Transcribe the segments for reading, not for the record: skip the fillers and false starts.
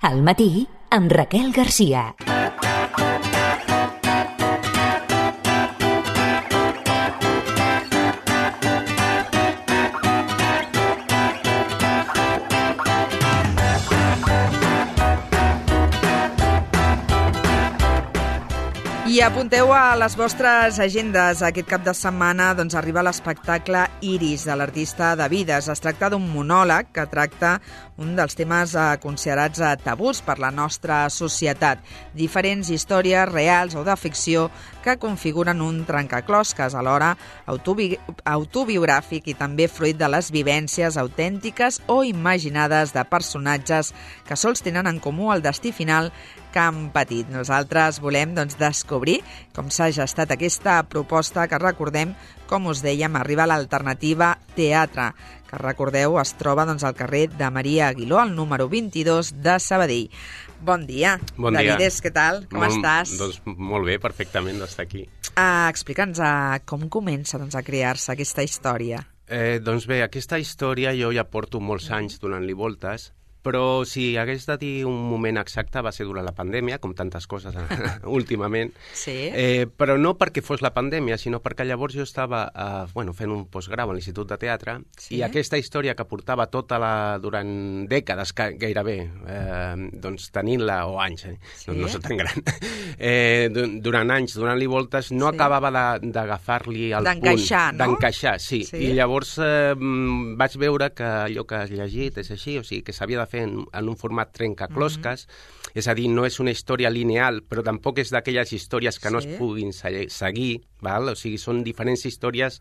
Al matí, amb Raquel Garcia. I apunteu a les vostres agendes. Aquest cap de setmana arriba l'espectacle Iris, de l'artista Davides. Es tracta d'un monòleg que tracta un dels temes considerats tabús per la nostra societat. Diferents històries reals o de ficció que configuren un trencaclosques, alhora autobiogràfic i també fruit de les vivències autèntiques o imaginades de personatges que sols tenen en comú el destí final que han patit. Nosaltres volem descobrir com s'ha gestat aquesta proposta que, recordem, com us dèiem, arriba a l'Alternativa Teatre, que, recordeu, es troba al carrer de Maria Aguiló, al número 22 de Sabadell. Bon dia. Bon dia. Davides, què tal? Com estàs? Doncs molt bé, perfectament d'estar aquí. Explica'ns com comença a crear-se aquesta història. Doncs bé, aquesta història jo ja porto molts anys donant-li voltes, però si hagués de dir un moment exacte va ser durant la pandèmia, com tantes coses últimament. Sí. Però no perquè fos la pandèmia, sinó perquè llavors jo estava fent un postgrau a l'Institut de Teatre, sí. I aquesta història que portava durant dècades gairebé, tenint-la, o anys, sí. No soc tan gran, durant anys, donant-li voltes, no sí. Acabava d'agafar-li el d'encaixar, punt. No? D'encaixar, sí. I llavors vaig veure que allò que has llegit és així, o sigui, que s'havia de fer en un format trencaclosques, és a dir, no és una història lineal, però tampoc és d'aquelles històries que no es puguin seguir, val? O sigui, són diferents històries,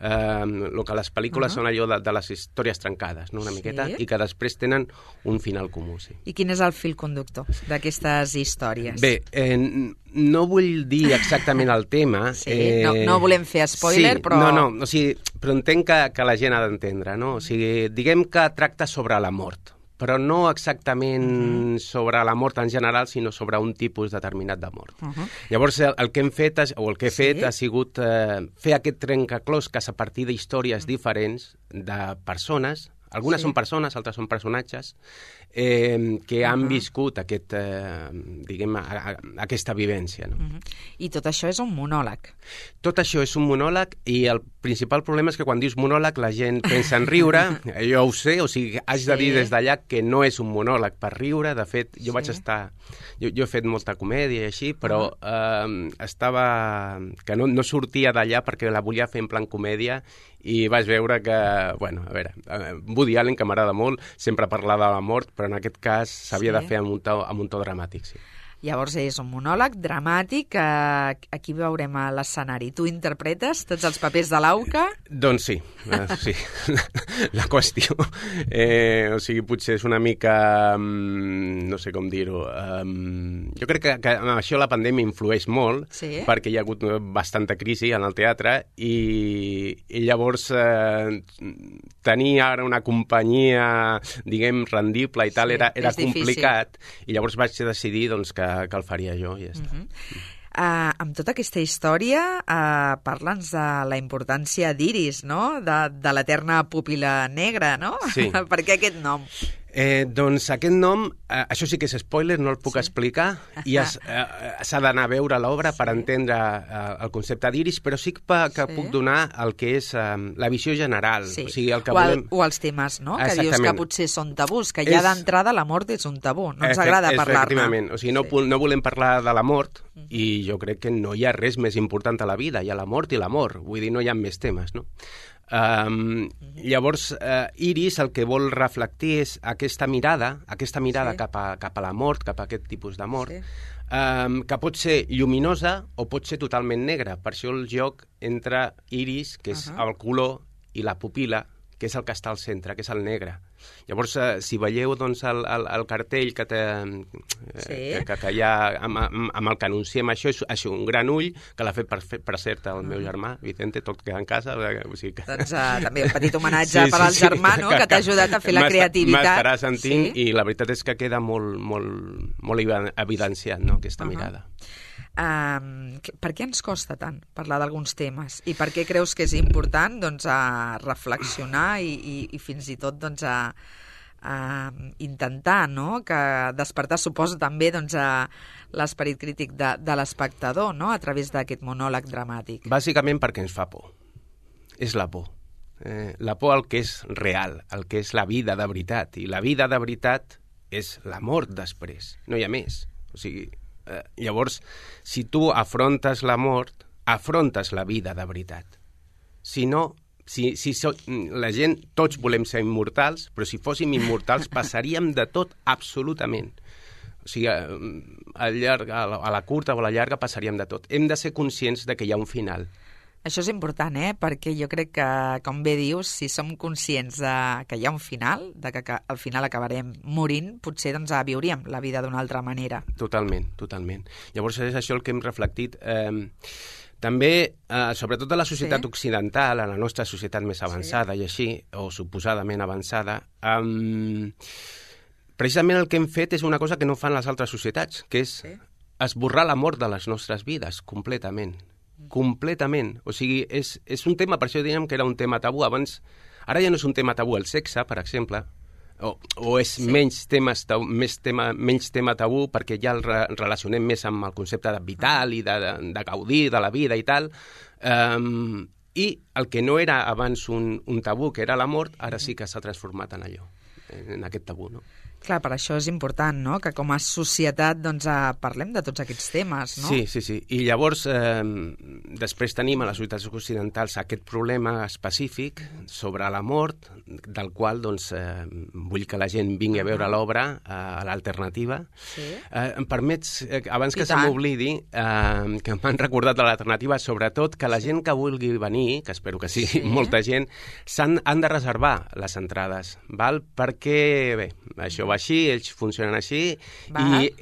el que les pel·lícules són allò de les històries trencades, no? Una miqueta, i que després tenen un final comú. Sí. I quin és el fil conductor d'aquestes històries? Bé, no vull dir exactament el tema. Sí, no volem fer spoiler, sí, però... No, o sigui, però entenc que la gent ha d'entendre, no? O sigui, diguem que tracta sobre la mort, però no exactament sobre la mort en general, sinó sobre un tipus determinat de mort. Llavors, el que hem fet, o el que he fet, ha sigut fer aquest trencaclosques a partir d'històries diferents de persones. Algunes són persones, altres són personatges, que han viscut aquesta vivència. No? I tot això és un monòleg. Tot això és un monòleg i el principal problema és que quan dius monòleg la gent pensa en riure, jo ho sé, o sigui, haig de dir des d'allà que no és un monòleg per riure. De fet, jo vaig estar... Jo he fet molta comèdia i així, però estava... que no sortia d'allà perquè la volia fer en plan comèdia i vaig veure que, bueno, a veure, Woody Allen, que m'agrada molt, sempre parla de la mort, però en aquest cas s'havia de fer amb un to dramàtic, sí. Llavors és un monòleg dramàtic, aquí veurem a l'escenari. Tu interpretes tots els papers de l'Auca? Doncs sí, sí, la qüestió. O sigui, potser és una mica, no sé com dir-ho, jo crec que això la pandèmia influeix molt, perquè hi ha hagut bastanta crisi en el teatre i llavors tenir ara una companyia, diguem, rendible i tal, era complicat, i llavors vaig decidir que el faria jo i ja està. Amb tota aquesta història, parla'ns de la importància d'Iris, no? De l'eterna pupil·la negra, no? Sí. Per què aquest nom? Doncs aquest nom, això sí que és spoiler, no el puc explicar, i s'ha d'anar a veure l'obra per entendre el concepte d'Iris, però sí que puc donar el que és la visió general. Sí. O sigui, el que o els temes, no? Que dius que potser són tabús, que ja d'entrada la mort és un tabú, no ens agrada parlar-ne. Efectivament, o sigui, no volem parlar de la mort, i jo crec que no hi ha res més important a la vida, hi ha la mort i l'amor, vull dir, no hi ha més temes, no? Llavors, Iris el que vol reflectir és aquesta mirada cap a la mort, cap a aquest tipus de mort, que pot ser lluminosa o pot ser totalment negra. Per això el joc entre Iris, que és el color, i la pupil·la, que és el que està al centre, que és el negre. Llavors, si veieu el cartell que hi ha amb el que anunciem això, és un gran ull, que l'ha fet per cert el meu germà, Vicente, tot queda en casa. O sigui que... Doncs també un petit homenatge per al germà, no?, que t'ha ajudat a fer la creativitat. M'estarà sentint, i la veritat és que queda molt evidenciat, no?, aquesta mirada. Per què ens costa tant parlar d'alguns temes? I per què creus que és important reflexionar i fins i tot intentar, no?, que despertar suposa també doncs, l'esperit crític de l'espectador, no?, a través d'aquest monòleg dramàtic. Bàsicament perquè ens fa por. És la por. La por al que és real, al que és la vida de veritat. I la vida de veritat és la mort després, no hi ha més. O sigui, llavors, si tu afrontes la mort, afrontes la vida de veritat. Si no, la gent, tots volem ser immortals, però si fóssim immortals passaríem de tot absolutament. O sigui, a la curta o a la llarga passaríem de tot. Hem de ser conscients de que hi ha un final. Això és important, perquè jo crec que, com bé dius, si som conscients que hi ha un final, de que al final acabarem morint, potser doncs, viuríem la vida d'una altra manera. Totalment, totalment. Llavors és això el que hem reflectit. També, sobretot a la societat occidental, a la nostra societat més avançada i així, o suposadament avançada, precisament el que hem fet és una cosa que no fan les altres societats, que és esborrar la mort de les nostres vides completament. Completament. O sigui, és un tema, per això dèiem que era un tema tabú. Abans, ara ja no és un tema tabú el sexe, per exemple, o és menys tema tabú perquè ja el relacionem més amb el concepte de vital i de gaudir de la vida i tal. I el que no era abans un tabú, que era la mort, ara sí que s'ha transformat en allò, en aquest tabú, no? Clar, per això és important, no?, que com a societat doncs, parlem de tots aquests temes, no? Sí. I llavors, després tenim a les societats occidentals aquest problema específic sobre la mort, del qual doncs, vull que la gent vingui a veure l'obra, a l'Alternativa. Sí. Em permets, abans que se m'oblidi, que m'han recordat de l'Alternativa, sobretot que la gent que vulgui venir, que espero que sigui molta gent, han de reservar les entrades, val? Perquè, bé, això va així, ells funcionen així, i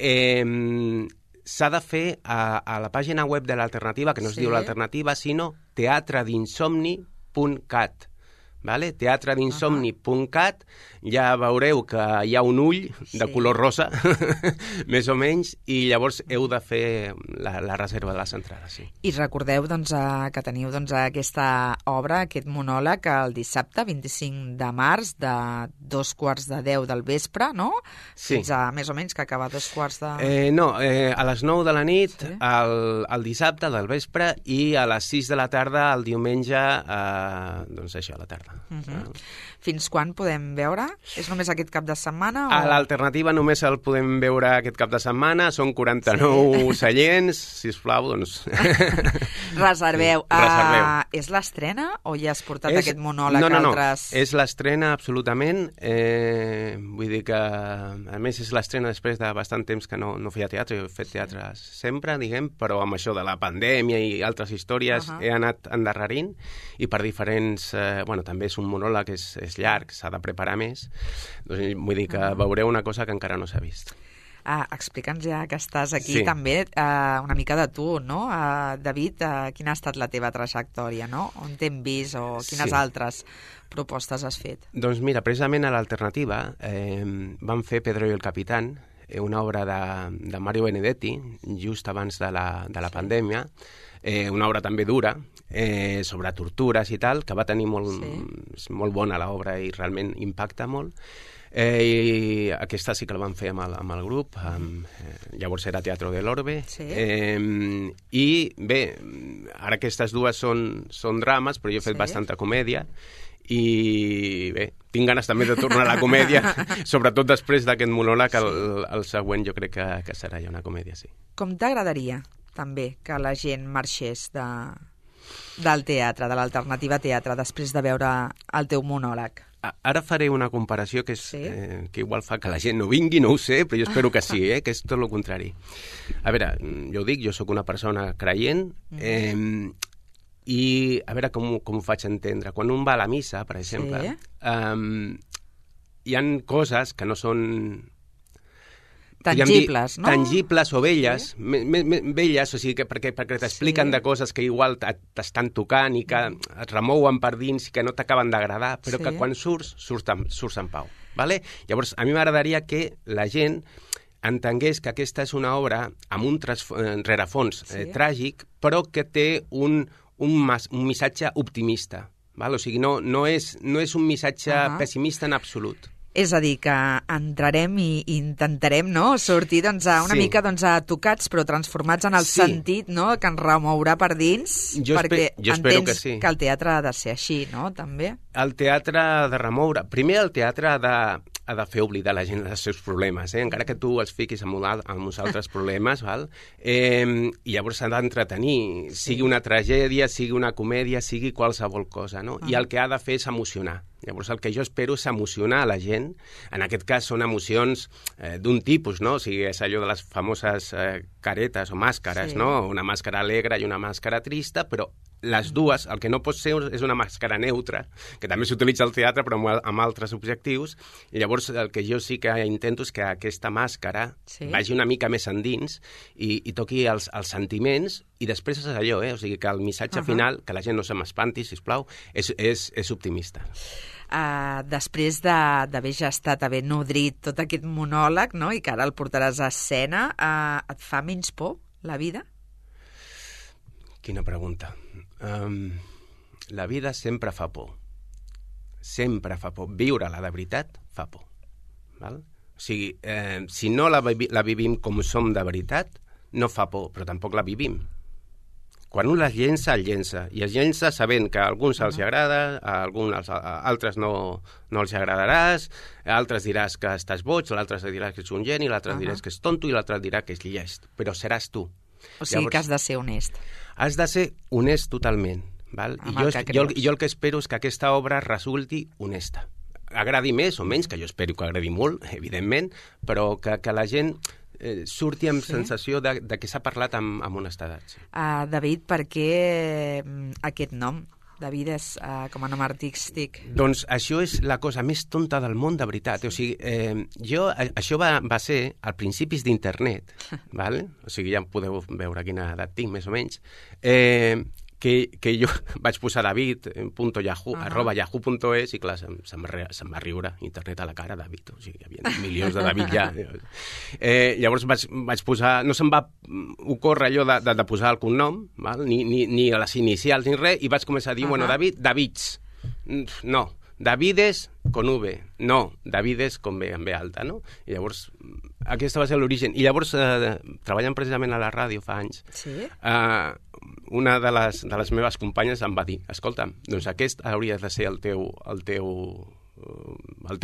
s'ha de fer a la pàgina web de l'Alternativa, que no es diu l'Alternativa, sinó teatredinsomni.cat. Vale? teatredinsomni.cat, ja veureu que hi ha un ull de color rosa, més o menys, i llavors heu de fer la reserva de les entrades. Sí. I recordeu doncs, que teniu doncs, aquesta obra, aquest monòleg, el dissabte 25 de març, de 9:15 del vespre, no? Sí. Fins a més o menys que acaba 9:15... No, a les 9 de la nit, el dissabte del vespre, i a les 6 de la tarda el diumenge, doncs això, a la tarda. Fins quan podem veure? És només aquest cap de setmana? A l'Alternativa només el podem veure aquest cap de setmana, són 49 seients, sisplau, doncs... Reserveu. És l'estrena o ja has portat aquest monòleg a altres... No, és l'estrena absolutament, vull dir que a més és l'estrena després de bastant temps que no feia teatre, jo he fet teatre sempre, diguem, però amb això de la pandèmia i altres històries he anat endarrerint, i per diferents... Bueno, també és un monòleg que és llarg, s'ha de preparar més, doncs vull dir que veureu una cosa que encara no s'ha vist. Explica'ns ja que estàs aquí també una mica de tu, no? David, quina ha estat la teva trajectòria, no? On t'hem vist o quines altres propostes has fet? Doncs mira, precisament a l'Alternativa vam fer Pedro i el Capitán, una obra de Mario Benedetti, just abans de la pandèmia, una obra també dura, sobre tortures i tal, que va tenir molt bona l'obra i realment impacta molt. I aquesta sí que la vam fer amb el grup, llavors era Teatro de l'Orbe. I bé, ara aquestes dues són drames, però jo he fet bastanta comèdia, i bé, tinc ganes també de tornar a la comèdia, sobretot després d'aquest monòleg, el següent jo crec que serà ja una comèdia, sí. Com t'agradaria també que la gent marxés del teatre, de l'Alternativa Teatre, després de veure el teu monòleg? Ara faré una comparació que igual fa que la gent no vingui, no ho sé, però jo espero que sí, que és tot el contrari. A veure, jo ho dic, jo sóc una persona creient, i a veure com ho faig entendre. Quan un va a la missa, per exemple, hi ha coses que no són... tangibles, no? Tangibles o velles, velles, o sigui, perquè t'expliquen de coses que igual t'estan tocant i que et remouen per dins i que no t'acaben d'agradar, però que quan surts en pau. Vale? Llavors, a mi m'agradaria que la gent entengués que aquesta és una obra amb un rerefons tràgic, però que té un missatge optimista. Val? O sigui, no és un missatge pessimista en absolut. És a dir, que entrarem i intentarem, no?, sortir una mica tocats, però transformats en el sentit, no?, que ens remourà per dins, perquè entens que el teatre ha de ser així, no?, també. El teatre ha de remoure. Primer, el teatre ha de fer oblidar la gent dels seus problemes, encara que tu els fiquis amb uns altres problemes, val? I llavors s'ha d'entretenir, sigui una tragèdia, sigui una comèdia, sigui qualsevol cosa, no? I el que ha de fer és emocionar. Llavors el que jo espero és emocionar a la gent. En aquest cas són emocions d'un tipus, no? O sigui, és allò de les famoses caretes o màscares, no? Una màscara alegre i una màscara trista, però les dues, el que no pot ser és una màscara neutra, que també s'utilitza al teatre però amb altres objectius, i llavors el que jo sí que intento és que aquesta màscara vagi una mica més endins i toqui els sentiments, i després és allò, o sigui, que el missatge final, que la gent no se m'espanti, sisplau, és optimista. Després d'haver gestat, haver nodrit tot aquest monòleg, no?, i que ara el portaràs a escena, et fa menys por la vida? Quina pregunta. La vida sempre fa por. Sempre fa por. Viure-la de veritat fa por. Val? O sigui, si no la vivim com som de veritat, no fa por, però tampoc la vivim. Quan un les llença, el llença. I es llença sabent que a alguns els agrada, a altres no els agradaràs, a altres diràs que estàs boig, a l'altre diràs que ets un geni, a l'altre diràs que és tonto i l'altre dirà que és llest. Però seràs tu. O sigui, que has de ser honest. Has de ser honest totalment. Val? I jo el que espero és que aquesta obra resulti honesta. Agradi més o menys, que jo espero que agradi molt, evidentment, però que la gent surti amb sensació de que s'ha parlat amb honestedat. Sí. David, per què aquest nom? David és com a nom artístic. Doncs això és la cosa més tonta del món, de veritat. O sigui, això va ser al principis d'internet, ¿vale? O sigui, ja podeu veure quina edat tinc, més o menys, que jo vaig posar david.yahoo, @yahoo.es, i clar, se'm va riure internet a la cara, David. O sigui, hi havia milions de David ja. Llavors vaig posar... No se'm va ocórrer allò de posar el cognom, val? Ni a les inicials ni res, i vaig començar a dir, bueno, Davids. No, Davides con V. No, Davides con B, amb B alta, no? I llavors, aquesta va ser l'origen. I llavors, treballant precisament a la ràdio fa anys, una de les meves companyes em va dir, escolta'm, doncs aquest hauria de ser el teu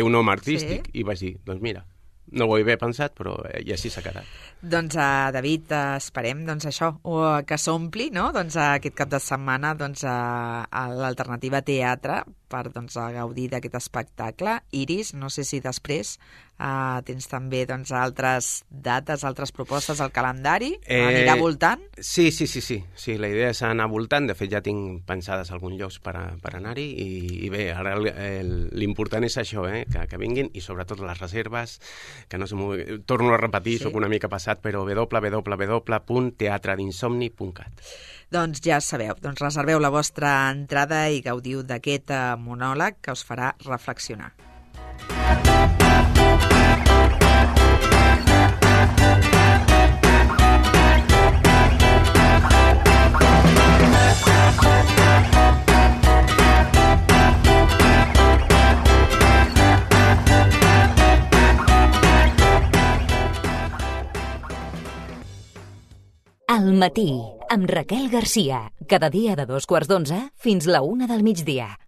nom artístic. I vaig dir, doncs mira, no ho he ben pensat, però i així s'ha quedat. Doncs, David, esperem això, que s'ompli, no?, aquest cap de setmana a l'Alternativa Teatre per gaudir d'aquest espectacle. Iris, no sé si després tens també altres dates, altres propostes al calendari. Anirà voltant? Sí, la idea és anar voltant. De fet, ja tinc pensades alguns llocs per anar-hi, i bé, ara l'important és això, que vinguin, i sobretot les reserves, que no sé, torno a repetir, soc una mica passat, però www.teatredinsomni.cat. Doncs ja sabeu, reserveu la vostra entrada i gaudiu d'aquest monòleg que us farà reflexionar. Al matí, amb Raquel Garcia. Cada dia de 2:15 fins la 1 del migdia.